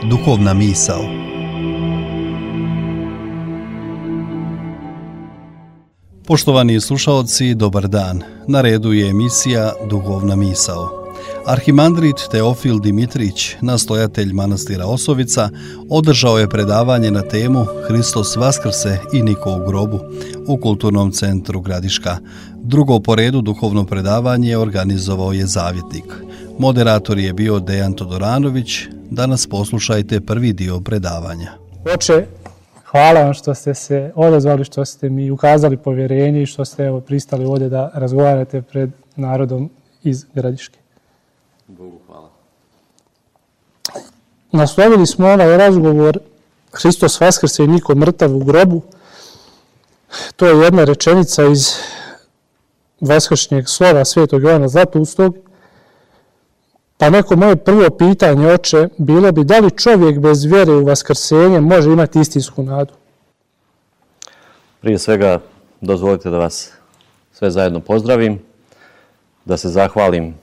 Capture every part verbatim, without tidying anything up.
Duhovna misao. Poštovani slušaoci, dobar dan. Na redu je emisija Duhovna misao. Arhimandrit Teofil Dimitrić, nastojatelj manastira Osovica, održao je predavanje na temu Hristos vaskrse i niko u grobu u Kulturnom centru Gradiška. Drugo po redu duhovno predavanje organizovao je Zavjetnik. Moderator je bio Dejan Todoranović. Danas poslušajte prvi dio predavanja. Oče, hvala vam što ste se odazvali, što ste mi ukazali povjerenje i što ste evo, pristali ovdje da razgovarate pred narodom iz Gradiške. Bogu hvala. Naslovili smo ovaj razgovor Hristos vaskrse i niko mrtav u grobu. To je jedna rečenica iz vaskršnjeg slova Svetog Jovana Zlatoustog. Pa neko moje prvo pitanje, oče, bilo bi da li čovjek bez vjere u vaskrsenje može imati istinsku nadu? Prije svega dozvolite da vas sve zajedno pozdravim, da se zahvalim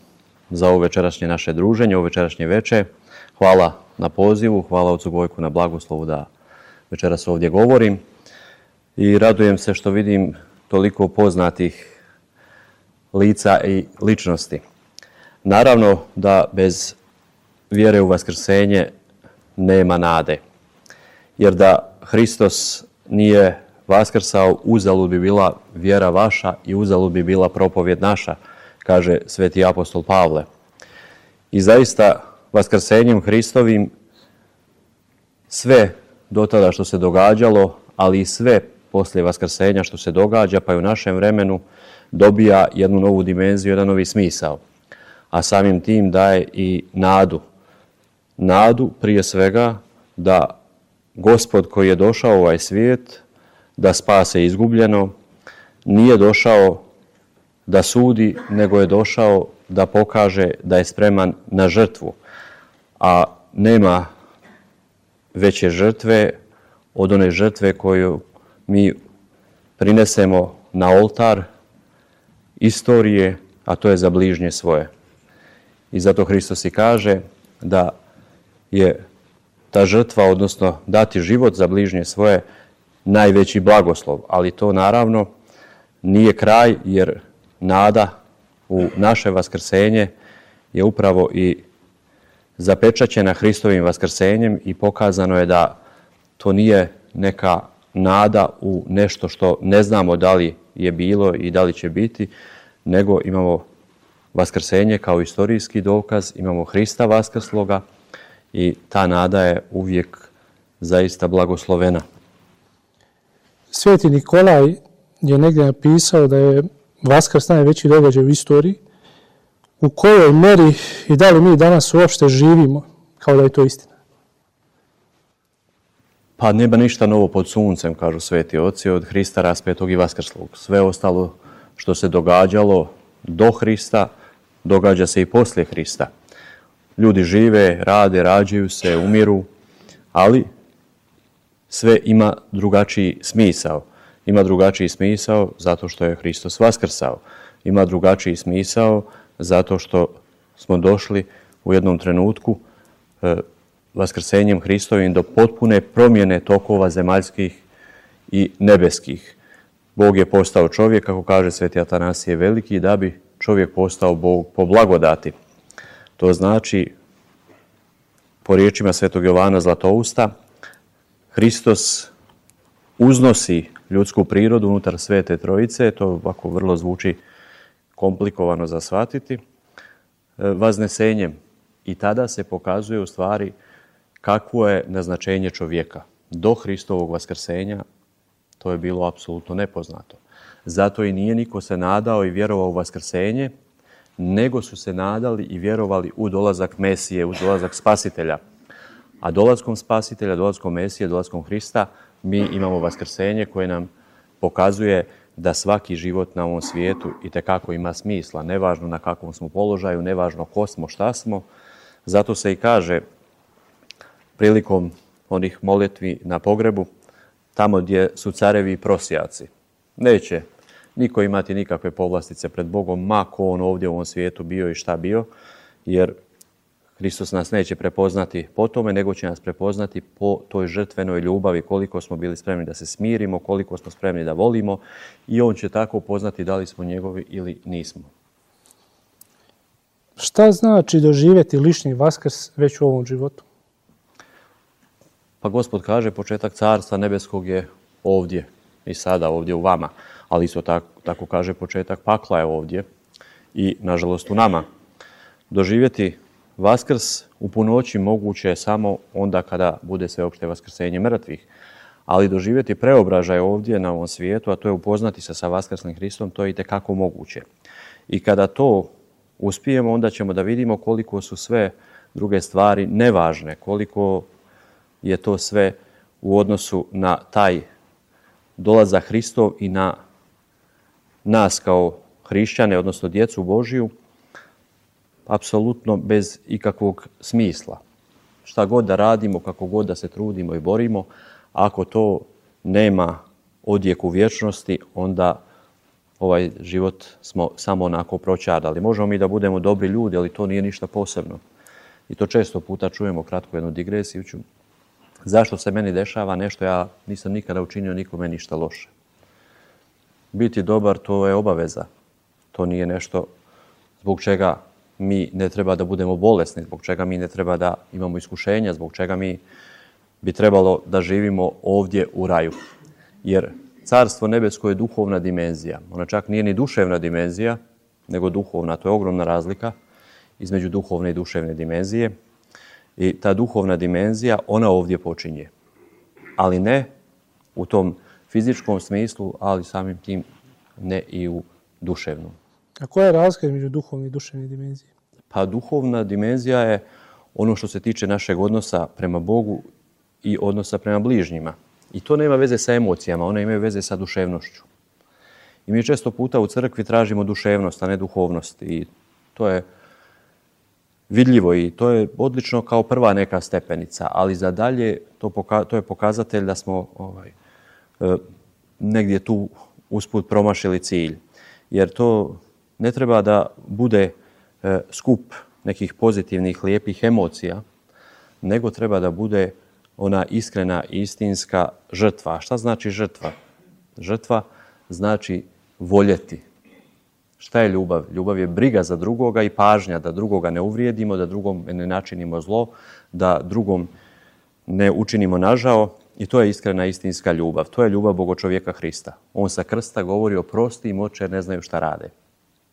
za ovo večerašnje naše druženje, ovo večerašnje veče. Hvala na pozivu, hvala ocu Gojku na blagoslovu da večeras ovdje govorim. I radujem se što vidim toliko poznatih lica i ličnosti. Naravno da bez vjere u vaskrsenje nema nade. Jer da Hristos nije vaskrsao, uzalud bi bila vjera vaša i uzalud bi bila propovjed naša, kaže sveti apostol Pavle. I zaista vaskrsenjem Hristovim sve do tada što se događalo, ali i sve poslije vaskrsenja što se događa, pa i u našem vremenu, dobija jednu novu dimenziju, jedan novi smisao. A samim tim daje i nadu. Nadu prije svega da Gospod koji je došao u ovaj svijet, da spase izgubljeno, nije došao da sudi, nego je došao da pokaže da je spreman na žrtvu. A nema veće žrtve od one žrtve koju mi prinesemo na oltar istorije, a to je za bližnje svoje. I zato Hristos i kaže da je ta žrtva, odnosno dati život za bližnje svoje, najveći blagoslov. Ali to naravno nije kraj, jer nada u naše vaskrsenje je upravo i zapečaćena Hristovim vaskrsenjem i pokazano je da to nije neka nada u nešto što ne znamo da li je bilo i da li će biti, nego imamo vaskrsenje kao istorijski dokaz, imamo Hrista vaskrsloga i ta nada je uvijek zaista blagoslovena. Sveti Nikolaj je negdje napisao da je Vaskrs najveći događaj u istoriji. U kojoj meri i da li mi danas uopšte živimo kao da je to istina? Pa nema ništa novo pod suncem, kažu sveti oci, od Hrista raspetog i vaskrslog. Sve ostalo što se događalo do Hrista, događa se i poslije Hrista. Ljudi žive, rade, rađaju se, umiru, ali sve ima drugačiji smisao. Ima drugačiji smisao zato što je Hristos vaskrsao. Ima drugačiji smisao zato što smo došli u jednom trenutku e, vaskrsenjem Hristovim do potpune promjene tokova zemaljskih i nebeskih. Bog je postao čovjek, kako kaže sveti Atanasije Veliki, da bi čovjek postao Bog po blagodati. To znači, po riječima svetog Jovana Zlatousta, Hristos uznosi ljudsku prirodu unutar Svete Trojice, to ovako vrlo zvuči komplikovano za shvatiti, vaznesenjem. I tada se pokazuje u stvari kakvo je naznačenje čovjeka. Do Hristovog vaskrsenja to je bilo apsolutno nepoznato. Zato i nije niko se nadao i vjerovao u vaskrsenje, nego su se nadali i vjerovali u dolazak Mesije, u dolazak Spasitelja. A dolaskom Spasitelja, dolaskom Mesije, dolaskom Hrista, mi imamo vaskrsenje koje nam pokazuje da svaki život na ovom svijetu itekako ima smisla. Nevažno na kakvom smo položaju, nevažno ko smo, šta smo. Zato se i kaže prilikom onih molitvi na pogrebu, tamo gdje su carevi i prosjaci. Neće niko imati nikakve povlastice pred Bogom, ma ko on ovdje u ovom svijetu bio i šta bio, jer Hristos nas neće prepoznati po tome, nego će nas prepoznati po toj žrtvenoj ljubavi, koliko smo bili spremni da se smirimo, koliko smo spremni da volimo i on će tako poznati da li smo njegovi ili nismo. Šta znači doživjeti lični Vaskrs već u ovom životu? Pa Gospod kaže, početak Carstva nebeskog je ovdje i sada ovdje u vama, ali isto tako, tako kaže početak pakla je ovdje i nažalost u nama. Doživjeti Vaskrs u punoći moguće je samo onda kada bude sveopšte vaskrsenje mrtvih, ali doživjeti preobražaj ovdje na ovom svijetu, a to je upoznati se sa vaskrslim Hristom, to je itekako moguće. I kada to uspijemo, onda ćemo da vidimo koliko su sve druge stvari nevažne, koliko je to sve u odnosu na taj dolazak Hristov i na nas kao hrišćane, odnosno djecu Božiju, apsolutno bez ikakvog smisla. Šta god da radimo, kako god da se trudimo i borimo, ako to nema odjek u vječnosti, onda ovaj život smo samo onako proćardali. Možemo mi da budemo dobri ljudi, ali to nije ništa posebno. I to često puta čujemo, kratko jednu digresiju ću. Zašto se meni dešava nešto, ja nisam nikada učinio nikome ništa loše. Biti dobar, to je obaveza. To nije nešto zbog čega mi ne treba da budemo bolesni, zbog čega mi ne treba da imamo iskušenja, zbog čega mi bi trebalo da živimo ovdje u raju. Jer Carstvo nebesko je duhovna dimenzija. Ona čak nije ni duševna dimenzija, nego duhovna. To je ogromna razlika između duhovne i duševne dimenzije. I ta duhovna dimenzija, ona ovdje počinje. Ali ne u tom fizičkom smislu, ali samim tim ne i u duševnom. A koja je razlika između duhovne i duševne dimenzije? Pa duhovna dimenzija je ono što se tiče našeg odnosa prema Bogu i odnosa prema bližnjima. I to nema veze sa emocijama, one imaju veze sa duševnošću. I mi često puta u crkvi tražimo duševnost, a ne duhovnost. I to je vidljivo i to je odlično kao prva neka stepenica, ali za dalje to, poka- to je pokazatelj da smo ovaj, e, negdje tu usput promašili cilj. Jer to ne treba da bude e, skup nekih pozitivnih, lijepih emocija, nego treba da bude ona iskrena i istinska žrtva. A šta znači žrtva? Žrtva znači voljeti. Šta je ljubav? Ljubav je briga za drugoga i pažnja da drugoga ne uvrijedimo, da drugom ne načinimo zlo, da drugom ne učinimo nažao. I to je iskrena istinska ljubav. To je ljubav Bogočovjeka Hrista. On sa krsta govori oprosti im oče jer ne znaju šta rade.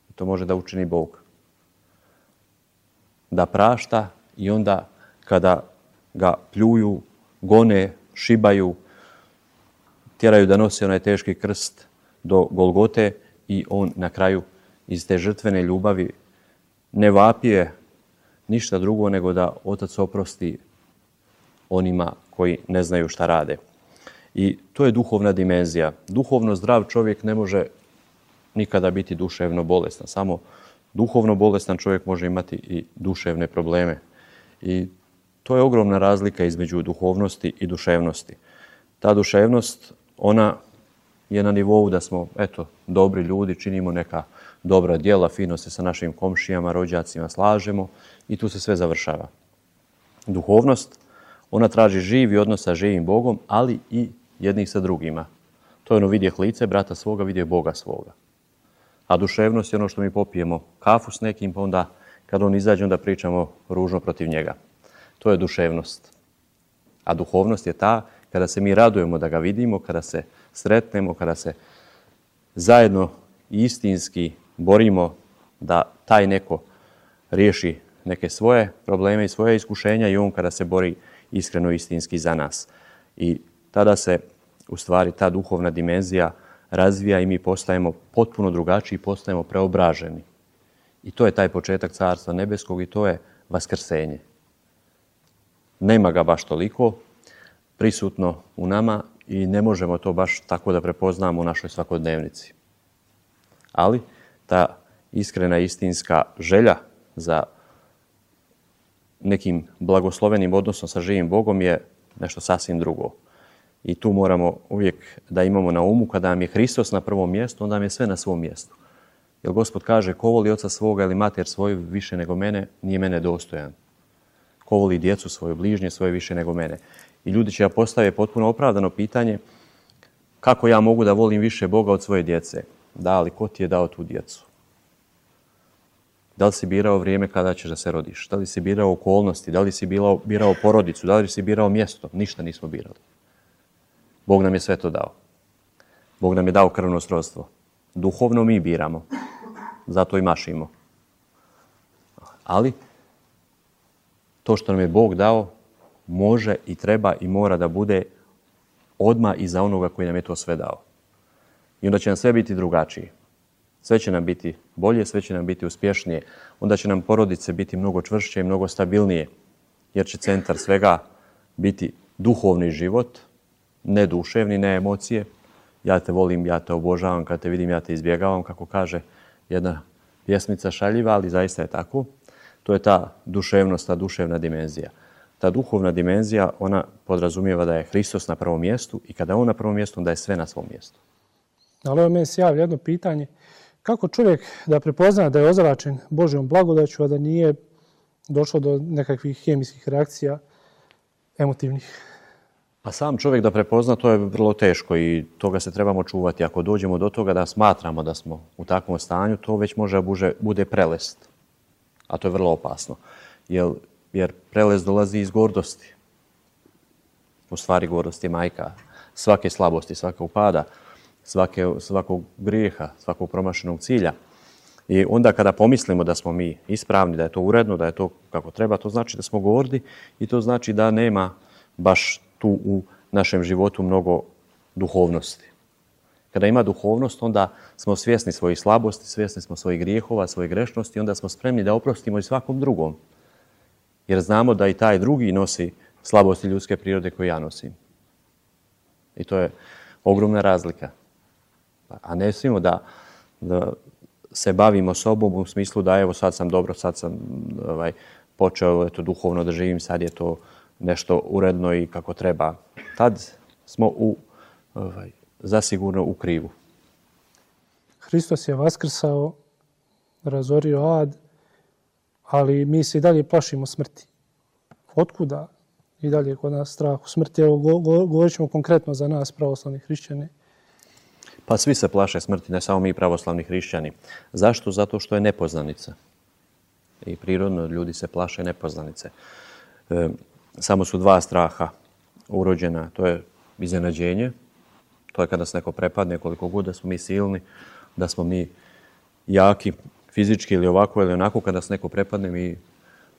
I to može da učini Bog. Da prašta i onda kada ga pljuju, gone, šibaju, tjeraju da nosi onaj teški krst do Golgote i on na kraju iz te žrtvene ljubavi ne vapije ništa drugo nego da Otac oprosti onima koji ne znaju šta rade. I to je duhovna dimenzija. Duhovno zdrav čovjek ne može nikada biti duševno bolestan. Samo duhovno bolestan čovjek može imati i duševne probleme. I to je ogromna razlika između duhovnosti i duševnosti. Ta duševnost, ona je na nivou da smo, eto, dobri ljudi, činimo neka dobra djela, fino se sa našim komšijama, rođacima slažemo i tu se sve završava. Duhovnost, ona traži živi odnos sa živim Bogom, ali i jednih sa drugima. To je ono vidjeh lice brata svoga, vidjeh Boga svoga. A duševnost je ono što mi popijemo kafu s nekim, pa onda kad on izađe, onda pričamo ružno protiv njega. To je duševnost. A duhovnost je ta kada se mi radujemo da ga vidimo, kada se sretnemo, kada se zajedno istinski borimo da taj neko riješi neke svoje probleme i svoje iskušenja i on kada se bori iskreno istinski za nas. I tada se u stvari ta duhovna dimenzija razvija i mi postajemo potpuno drugačiji, postajemo preobraženi. I to je taj početak Carstva nebeskog i to je vaskrsenje. Nema ga baš toliko prisutno u nama i ne možemo to baš tako da prepoznamo u našoj svakodnevnici. Ali ta iskrena istinska želja za nekim blagoslovenim odnosom sa živim Bogom je nešto sasvim drugo. I tu moramo uvijek da imamo na umu kada nam je Hristos na prvom mjestu, onda nam je sve na svom mjestu. Jer Gospod kaže, ko voli oca svoga ili mater svoju više nego mene, nije mene dostojan. Ko voli djecu svoju, bližnje svoje više nego mene. I ljudi će ja postaviti potpuno opravdano pitanje, kako ja mogu da volim više Boga od svoje djece? Da, ali ko ti je dao tu djecu? Da li si birao vrijeme kada ćeš da se rodiš? Da li si birao okolnosti? Da li si birao, birao porodicu? Da li si birao mjesto? Ništa nismo birali. Bog nam je sve to dao. Bog nam je dao krvno srodstvo. Duhovno mi biramo. Zato i mašimo. Ali to što nam je Bog dao može i treba i mora da bude odmah iza onoga koji nam je to sve dao. I onda će nam sve biti drugačije. Sve će nam biti bolje, sve će nam biti uspješnije. Onda će nam porodice biti mnogo čvršće i mnogo stabilnije. Jer će centar svega biti duhovni život, ne duševni, ne emocije. Ja te volim, ja te obožavam, kad te vidim, ja te izbjegavam, kako kaže jedna pjesmica šaljiva, ali zaista je tako. To je ta duševnost, ta duševna dimenzija. Ta duhovna dimenzija, ona podrazumijeva da je Hristos na prvom mjestu i kada je on na prvom mjestu, onda je sve na svom mjestu. Ali evo meni se javlja jedno pitanje. Kako čovjek da prepozna da je ozračen Božjom blagodaću, a da nije došlo do nekakvih hemijskih reakcija emotivnih? Pa sam čovjek da prepozna, to je vrlo teško i toga se trebamo čuvati. Ako dođemo do toga da smatramo da smo u takvom stanju, to već može bude, bude prelest. A to je vrlo opasno. Jer, jer prelest dolazi iz gordosti. U stvari gordost je majka svake slabosti, svakog pada, svake, svakog grijeha, svakog promašenog cilja. I onda kada pomislimo da smo mi ispravni, da je to uredno, da je to kako treba, to znači da smo gordi i to znači da nema baš tu u našem životu mnogo duhovnosti. Kada ima duhovnost, onda smo svjesni svojih slabosti, svjesni smo svojih grijehova, svojih grešnosti, onda smo spremni da oprostimo i svakom drugom. Jer znamo da i taj drugi nosi slabosti ljudske prirode koje ja nosim. I to je ogromna razlika. A ne smijemo da, da se bavimo sobom u smislu da evo sad sam dobro, sad sam ovaj, počeo eto, duhovno da živim, sad je to nešto uredno i kako treba. Tad smo u, ovaj, zasigurno u krivu. Hristos je vaskrsao, razorio ad, ali mi se i dalje plašimo smrti. Otkuda i dalje kod nas strah u smrti? Evo, go, go, govorit ćemo konkretno za nas, pravoslavni hrišćani. Pa svi se plaše smrti, ne samo mi pravoslavni hrišćani. Zašto? Zato što je nepoznanica. I prirodno ljudi se plaše nepoznanice. E, samo su dva straha urođena. To je iznenađenje. To je kada se neko prepadne, koliko god da smo mi silni, da smo mi jaki, fizički ili ovako ili onako, kada se neko prepadne, mi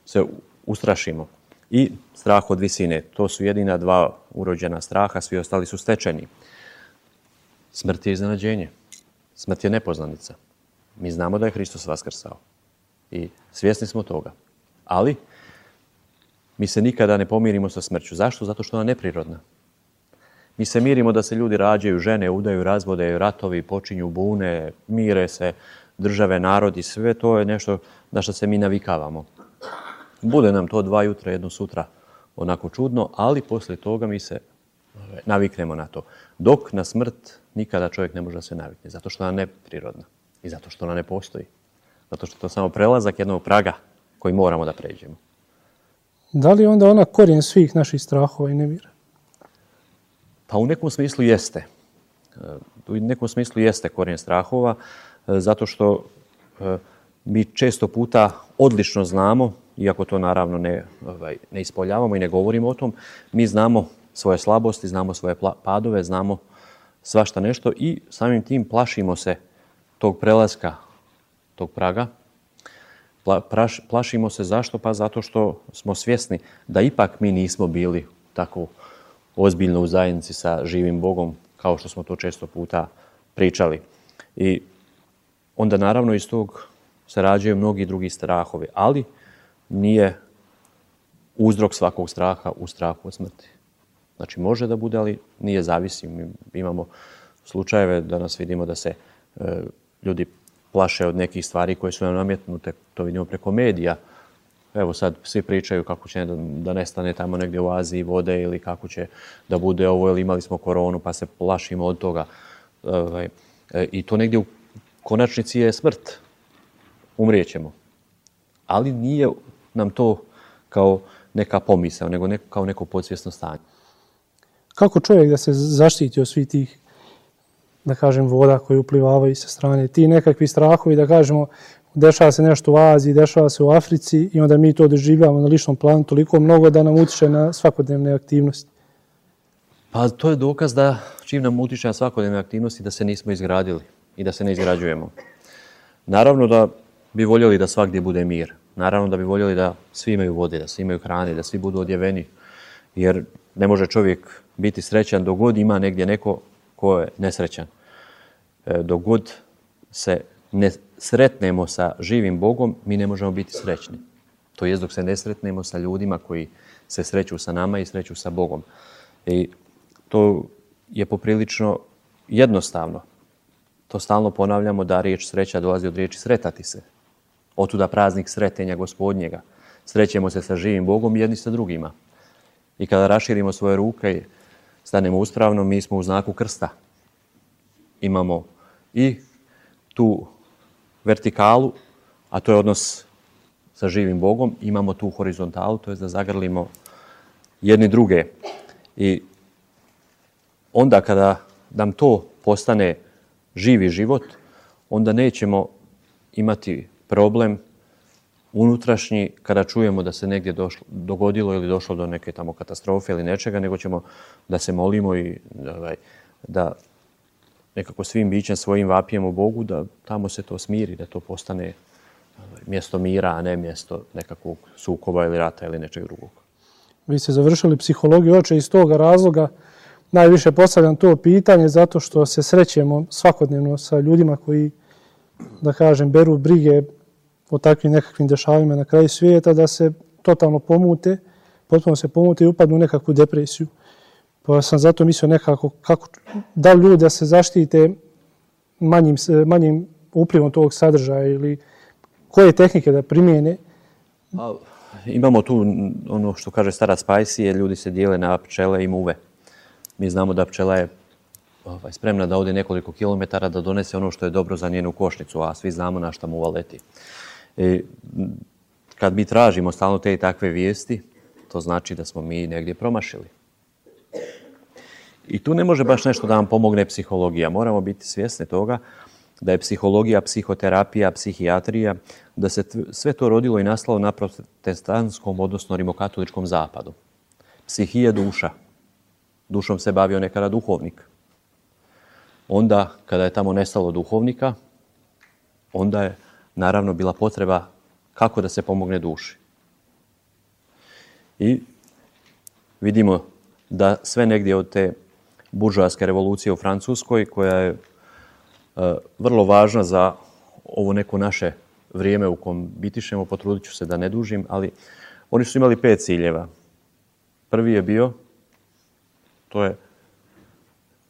se ustrašimo. I strah od visine. To su jedina dva urođena straha, svi ostali su stečeni. Smrt je iznenađenje. Smrt je nepoznanica. Mi znamo da je Hristos vaskrsao. I svjesni smo toga. Ali mi se nikada ne pomirimo sa smrću. Zašto? Zato što ona je neprirodna. Mi se mirimo da se ljudi rađaju, žene, udaju, razvode, ratovi, počinju bune, mire se države, narodi, sve to je nešto na što se mi navikavamo. Bude nam to dva jutra, jedno sutra onako čudno, ali poslije toga mi se naviknemo na to. Dok na smrt nikada čovjek ne može da se navikne, zato što ona je neprirodna i zato što ona ne postoji. Zato što je to samo prelazak jednog praga koji moramo da pređemo. Da li onda ona korijen svih naših strahova i nevjera? Pa u nekom smislu jeste. U nekom smislu jeste korijen strahova, zato što mi često puta odlično znamo, iako to naravno ne, ovaj, ne ispoljavamo i ne govorimo o tom, mi znamo svoje slabosti, znamo svoje padove, znamo svašta nešto i samim tim plašimo se tog prelaska, tog praga. Pla, praš, plašimo se zašto? Pa zato što smo svjesni da ipak mi nismo bili tako ozbiljno u zajednici sa živim Bogom, kao što smo to često puta pričali. I onda naravno iz tog se rađaju mnogi drugi strahovi, ali nije uzrok svakog straha u strahu od smrti. Znači može da bude, ali nije zavisi. Mi imamo slučajeve da nas vidimo da se e, ljudi plaše od nekih stvari koje su nam nametnute. To vidimo preko medija. Evo sad svi pričaju kako će da, da nestane tamo negdje u Aziji vode ili kako će da bude ovo, ili imali smo koronu pa se plašimo od toga. I to negdje u konačnici je smrt. Umrijećemo. Ali nije nam to kao neka pomisao, nego neko, kao neko podsvjesno stanje. Kako čovjek da se zaštiti od svih tih, da kažem, voda koje uplivavaju sa strane? Ti nekakvi strahovi, da kažemo, dešava se nešto u Aziji, dešava se u Africi i onda mi to doživljavamo na ličnom planu toliko mnogo da nam utiče na svakodnevne aktivnosti. Pa to je dokaz da čim nam utiče na svakodnevne aktivnosti da se nismo izgradili i da se ne izgrađujemo. Naravno da bi voljeli da svagdje bude mir. Naravno da bi voljeli da svi imaju vode, da svi imaju hrane, da svi budu odjeveni. Jer ne može čovjek biti srećan dok god ima negdje neko ko je nesrećan. Dok god se ne sretnemo sa živim Bogom, mi ne možemo biti srećni. To jest dok se ne sretnemo sa ljudima koji se sreću sa nama i sreću sa Bogom. I to je poprilično jednostavno. To stalno ponavljamo da riječ sreća dolazi od riječi sretati se. Otuda praznik sretenja Gospodnjega. Srećemo se sa živim Bogom i jedni sa drugima. I kada raširimo svoje ruke i stanemo uspravno, mi smo u znaku krsta. Imamo i tu vertikalu, a to je odnos sa živim Bogom. Imamo tu horizontalu, to je da zagrlimo jedni druge. I onda kada nam to postane živi život, onda nećemo imati problem unutrašnji kada čujemo da se negdje došlo, dogodilo ili došlo do neke tamo katastrofe ili nečega, nego ćemo da se molimo i da, da nekako svim bićem svojim vapijemo Bogu da tamo se to smiri, da to postane mjesto mira, a ne mjesto nekakvog sukoba ili rata ili nečeg drugog. Vi ste završili psihologiju, oče, iz toga razloga najviše postavljam to pitanje zato što se srećemo svakodnevno sa ljudima koji, da kažem, beru brige o takvim nekakvim dešavima na kraju svijeta, da se totalno pomute, potpuno se pomute i upadnu u nekakvu depresiju. Pa sam zato mislio nekako kako, da li ljudi da se zaštite manjim, manjim uplivom tog sadržaja ili koje tehnike da primijene. A, imamo tu ono što kaže starac Pajsije, ljudi se dijele na pčele i muve. Mi znamo da pčela je ovaj, spremna da ode nekoliko kilometara da donese ono što je dobro za njenu košnicu, a svi znamo na šta muva leti. I, kad mi tražimo stalno te i takve vijesti, to znači da smo mi negdje promašili. I tu ne može baš nešto da nam pomogne psihologija. Moramo biti svjesni toga da je psihologija, psihoterapija, psihijatrija, da se sve to rodilo i nastalo na protestantskom, odnosno rimokatoličkom zapadu. Psihija duša. Dušom se bavio nekada duhovnik. Onda, kada je tamo nestalo duhovnika, onda je naravno bila potreba kako da se pomogne duši. I vidimo da sve negdje od te buržoaske revolucije u Francuskoj, koja je e, vrlo važna za ovo neko naše vrijeme u kom bitišemo, potrudit ću se da ne dužim, ali oni su imali pet ciljeva. Prvi je bio, to je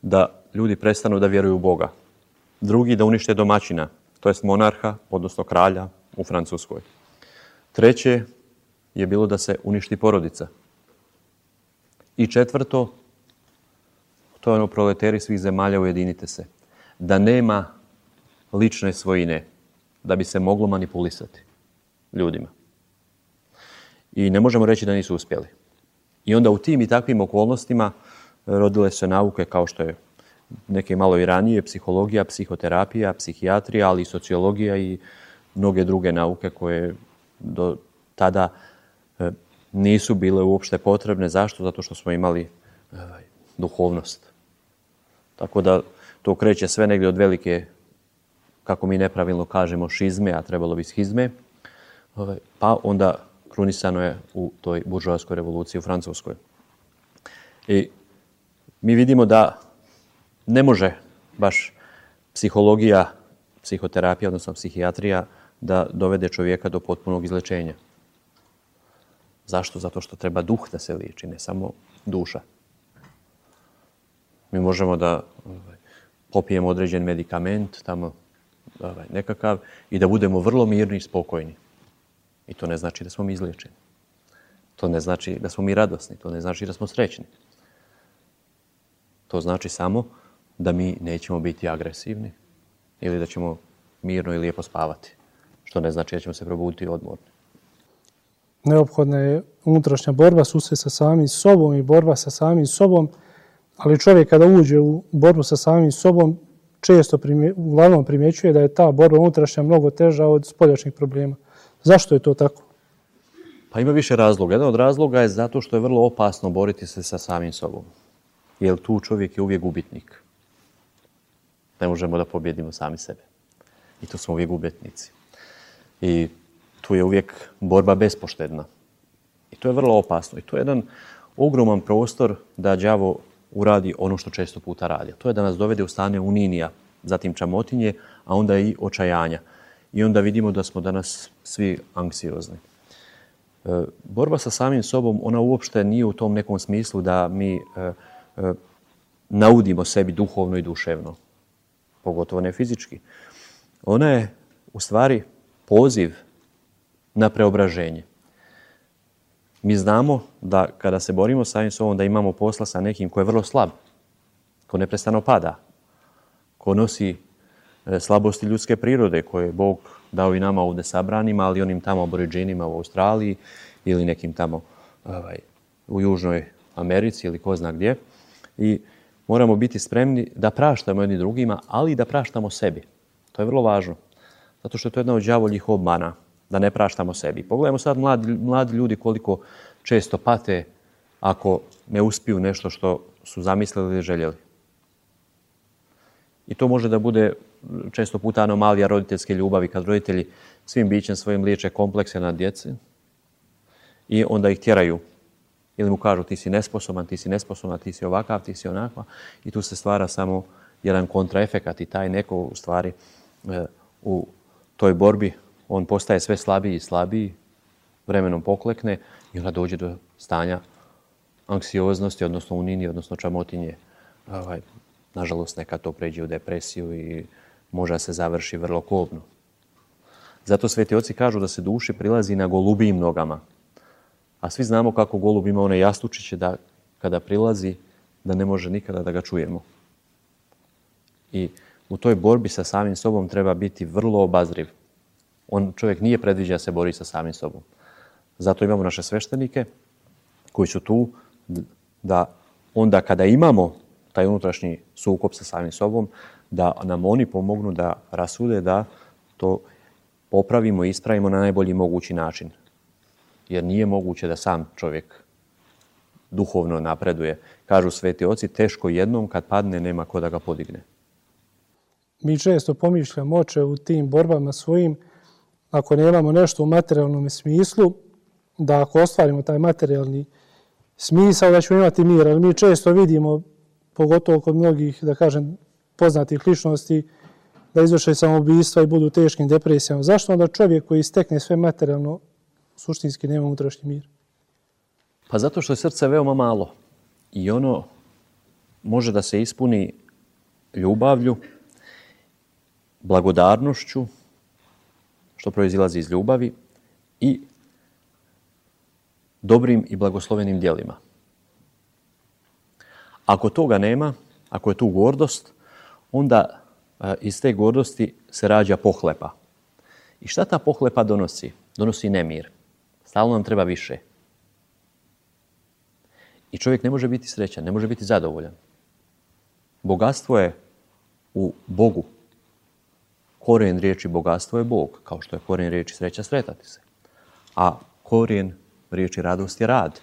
da ljudi prestanu da vjeruju u Boga. Drugi, da unište domaćina, to jest monarha, odnosno kralja u Francuskoj. Treće je bilo da se uništi porodica. I četvrto, to je ono proleteri svih zemalja, ujedinite se. Da nema lične svojine, da bi se moglo manipulisati ljudima. I ne možemo reći da nisu uspjeli. I onda u tim i takvim okolnostima rodile se nauke kao što je neke malo i ranije, psihologija, psihoterapija, psihijatrija, ali i sociologija i mnoge druge nauke koje do tada nisu bile uopšte potrebne. Zašto? Zato što smo imali duhovnost. Tako da to kreće sve negdje od velike, kako mi nepravilno kažemo, šizme, a trebalo bi schizme, pa onda krunisano je u toj buržoaskoj revoluciji u Francuskoj. I mi vidimo da ne može baš psihologija, psihoterapija, odnosno psihijatrija, da dovede čovjeka do potpunog izlečenja. Zašto? Zato što treba duh da se liječi, ne samo duša. Mi možemo da popijemo određen medikament, tamo nekakav, i da budemo vrlo mirni i spokojni. I to ne znači da smo mi izliječeni. To ne znači da smo mi radosni. To ne znači da smo srećni. To znači samo da mi nećemo biti agresivni ili da ćemo mirno i lijepo spavati. Što ne znači da ćemo se probuditi odmorni. Neophodna je unutrašnja borba, susret sa samim sobom i borba sa samim sobom, ali čovjek kada uđe u borbu sa samim sobom, često primje, uglavnom primjećuje da je ta borba unutrašnja mnogo teža od spoljašnjih problema. Zašto je to tako? Pa ima više razloga. Jedan od razloga je zato što je vrlo opasno boriti se sa samim sobom. Jer tu čovjek je uvijek gubitnik. Ne možemo da pobjedimo sami sebe. I tu smo uvijek gubitnici. I tu je uvijek borba bespoštedna. I to je vrlo opasno. I to je jedan ogroman prostor da đavo uradi ono što često puta radi. To je da nas dovede u stanje uninija, zatim čamotinje, a onda i očajanja. I onda vidimo da smo danas svi anksiozni. E, borba sa samim sobom, ona uopšte nije u tom nekom smislu da mi e, e, naudimo sebi duhovno i duševno. Pogotovo ne fizički. Ona je u stvari poziv na preobraženje. Mi znamo da kada se borimo sa samim sobom da imamo posla sa nekim ko je vrlo slab, ko neprestano pada, ko nosi slabosti ljudske prirode koje je Bog dao i nama ovdje sabranima, ali onim tamo aboriđinima u Australiji ili nekim tamo ovaj, u Južnoj Americi ili ko zna gdje. I moramo biti spremni da praštamo jedni drugima, ali i da praštamo sebi. To je vrlo važno. Zato što je to jedna od đavoljih obmana, da ne praštamo sebi. Pogledajmo sad mladi, mladi ljudi koliko često pate ako ne uspiju nešto što su zamislili ili željeli. I to može da bude često puta anomalija roditeljske ljubavi, kad roditelji svim bićem svojim liječe komplekse na djece i onda ih tjeraju. Ili mu kažu ti si nesposoban, ti si nesposoban, ti si ovakav, ti si onakva. I tu se stvara samo jedan kontraefekat i taj neko u stvari e, u toj borbi on postaje sve slabiji i slabiji, vremenom poklekne i onda dođe do stanja anksioznosti, odnosno unini, odnosno čamotinje. Ovaj, nažalost, nekad to pređe u depresiju i može se završi vrlo kobno. Zato sveti oci kažu da se duši prilazi na golubijim nogama. A svi znamo kako golub ima one jastučiće da kada prilazi da ne može nikada da ga čujemo. I u toj borbi sa samim sobom treba biti vrlo obazriv. On, čovjek nije predviđen da se bori sa samim sobom. Zato imamo naše sveštenike koji su tu da onda kada imamo taj unutrašnji sukob sa samim sobom, da nam oni pomognu da rasude, da to popravimo i ispravimo na najbolji mogući način. Jer nije moguće da sam čovjek duhovno napreduje. Kažu sveti oci, teško jednom kad padne nema ko da ga podigne. Mi često pomišljamo oče u tim borbama svojim, ako nemamo nešto u materijalnom smislu, da ako ostvarimo taj materijalni smisao da ćemo imati mir, ali mi često vidimo, pogotovo kod mnogih, da kažem, poznatih ličnosti, da izvrše samoubistva i budu u teškim depresijama. Zašto onda čovjek koji stekne sve materijalno suštinski nema unutrašnji mir? Pa zato što je srce veoma malo i ono može da se ispuni ljubavlju, blagodarnošću, što proizilazi iz ljubavi, i dobrim i blagoslovenim djelima. Ako toga nema, ako je tu gordost, onda a, iz te gordosti se rađa pohlepa. I šta ta pohlepa donosi? Donosi nemir. Stalno nam treba više. I čovjek ne može biti srećan, ne može biti zadovoljan. Bogatstvo je u Bogu. Korijen riječi bogatstvo je Bog, kao što je korijen riječi sreća sretati se. A korijen riječi radost je rad.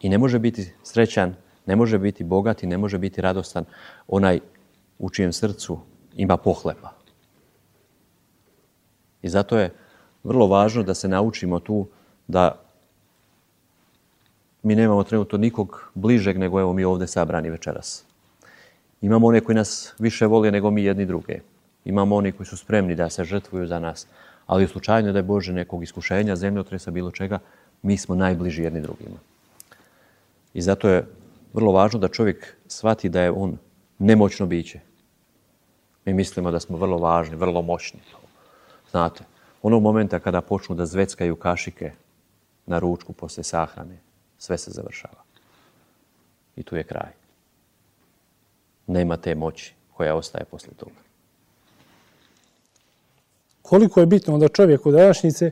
I ne može biti srećan, ne može biti bogat i ne može biti radostan onaj u čijem srcu ima pohlepa. I zato je vrlo važno da se naučimo tu da mi nemamo trenutno nikog bližeg nego evo mi ovdje sabrani večeras. Imamo one koji nas više vole nego mi jedni druge. Imamo oni koji su spremni da se žrtvuju za nas. Ali u slučaju da je Bože nekog iskušenja, zemljotresa, bilo čega, mi smo najbliži jedni drugima. I zato je vrlo važno da čovjek shvati da je on nemoćno biće. Mi mislimo da smo vrlo važni, vrlo moćni. Znate, Onog momenta kada počnu da zveckaju kašike na ručku poslije sahrane, sve se završava. I tu je kraj. Nema te moći koja ostaje poslije toga. Koliko je bitno onda čovjeku današnjice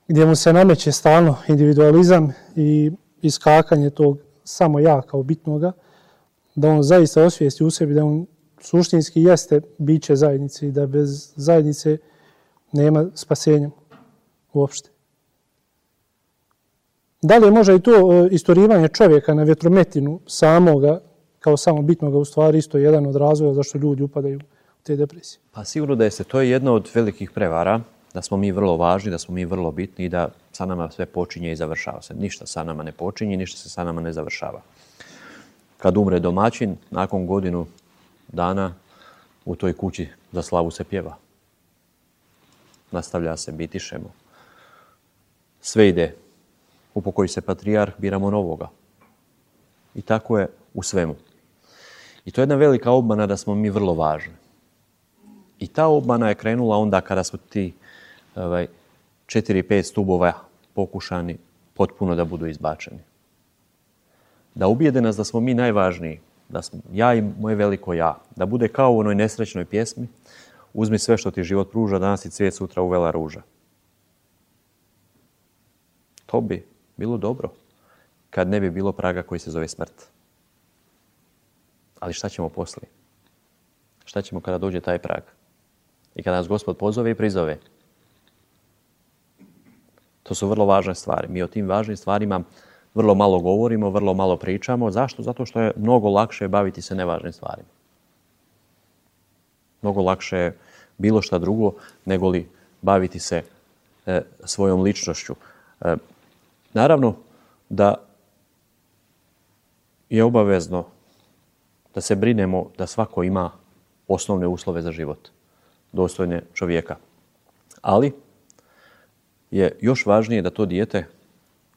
gdje mu se nameće stalno individualizam i iskakanje tog samo ja kao bitnoga, da on zaista osvijesti u sebi da on suštinski jeste biće zajednice i da bez zajednice nema spasenja uopšte. Da li je možda i to istorivanje čovjeka na vjetrometinu samoga kao samo bitnoga u stvari isto jedan od razloga zašto ljudi upadaju u te depresije? Pa sigurno da jeste. To je jedna od velikih prevara, da smo mi vrlo važni, da smo mi vrlo bitni i da sa nama sve počinje i završava se. Ništa sa nama ne počinje, ništa se sa nama ne završava. Kad umre domaćin, nakon godinu dana u toj kući za slavu se pjeva. Nastavlja se, bitišemo. Sve ide. Upokoji se patrijarh, biramo novoga. I tako je u svemu. I to je jedna velika obmana da smo mi vrlo važni. I ta obmana je krenula onda kada su ti ovaj, četiri, pet stubova pokušani potpuno da budu izbačeni. Da ubijede nas da smo mi najvažniji, da smo ja i moje veliko ja, da bude kao u onoj nesrećnoj pjesmi uzmi sve što ti život pruža, danas ti cvijet, sutra uvela ruža. To bi bilo dobro kad ne bi bilo praga koji se zove smrt. Ali šta ćemo poslije? Šta ćemo kada dođe taj prag? I kada nas Gospod pozove i prizove? To su vrlo važne stvari. Mi o tim važnim stvarima vrlo malo govorimo, vrlo malo pričamo. Zašto? Zato što je mnogo lakše baviti se nevažnim stvarima. Mnogo lakše je bilo šta drugo nego li baviti se e, svojom ličnošću. E, naravno da je obavezno da se brinemo da svako ima osnovne uslove za život, dostojne čovjeka. Ali je još važnije da to dijete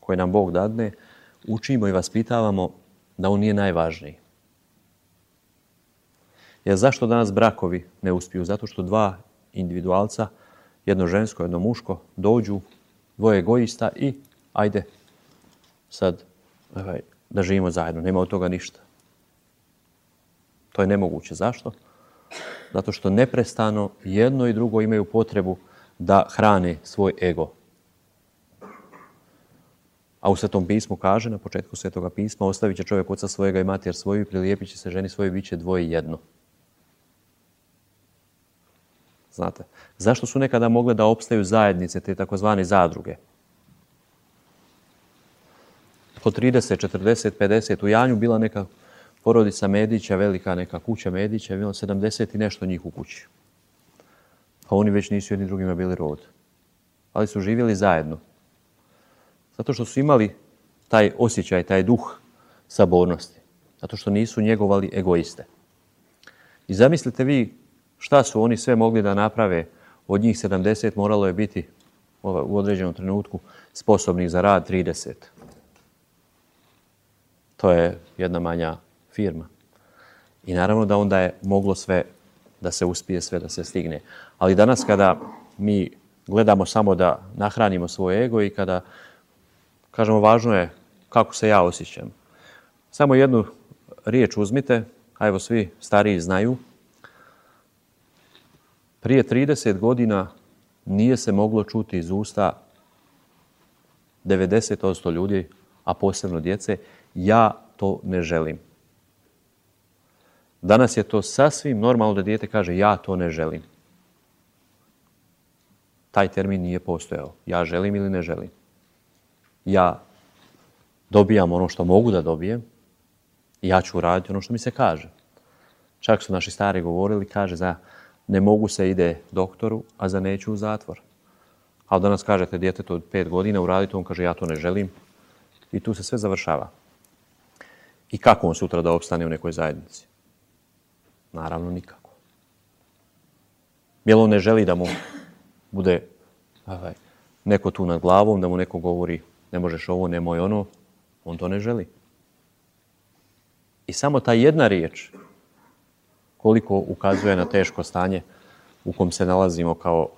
koje nam Bog dadne učimo i vaspitavamo da on nije najvažniji. Jer zašto danas brakovi ne uspiju? Zato što dva individualca, jedno žensko, jedno muško, dođu, dvoje egoista i ajde sad ovaj, da živimo zajedno. Nema od toga ništa. To je nemoguće. Zašto? Zato što neprestano jedno i drugo imaju potrebu da hrane svoj ego. A u Svetom pismu kaže, na početku Svetoga pisma, ostavit će čovjek oca svojega i mater svoju i prilijepit će se ženi svoje, bit će dvoje jedno. Znate, zašto su nekada mogle da opstaju zajednice, te takozvane zadruge? Po trideset, četrdeset, pedeset u Janju bila neka porodica Medića, velika neka kuća Medića, bilo sedamdeset i nešto njih u kući. A oni već nisu jedni drugima bili rod. Ali su živjeli zajedno. Zato što su imali taj osjećaj, taj duh sabornosti. Zato što nisu njegovali egoiste. I zamislite vi šta su oni sve mogli da naprave. Od njih sedamdeset moralo je biti u određenom trenutku sposobnih za rad trideset. To je jedna manja firma. I naravno da onda je moglo sve da se uspije, sve da se stigne. Ali danas kada mi gledamo samo da nahranimo svoj ego i kada kažemo važno je kako se ja osjećam. Samo jednu riječ uzmite, a evo svi stariji znaju. Prije trideset godina nije se moglo čuti iz usta devedeset posto ljudi, a posebno djece, ja to ne želim. Danas je to sasvim normalno da dijete kaže ja to ne želim. Taj termin nije postojao. Ja želim ili ne želim. Ja dobijam ono što mogu da dobijem i ja ću raditi ono što mi se kaže. Čak su naši stari govorili, kaže za ne mogu se ide doktoru, a za neću u zatvor. A danas kažete djetetu od pet godina uraditi, on kaže ja to ne želim i tu se sve završava. I kako on sutra da opstane u nekoj zajednici? Naravno nikako. Jer on ne želi da mu bude ovaj, neko tu nad glavom, da mu neko govori ne možeš ovo, nemoj ono. On to ne želi. I samo ta jedna riječ koliko ukazuje na teško stanje u kom se nalazimo kao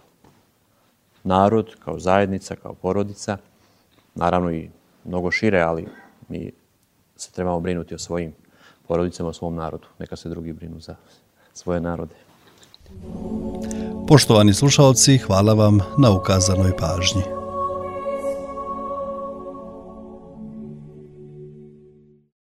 narod, kao zajednica, kao porodica. Naravno i mnogo šire, ali mi se trebamo brinuti o svojim porodicama, o svom narodu. Neka se drugi brinu za svoje narode. Poštovani slušalci, hvala vam na ukazanoj pažnji.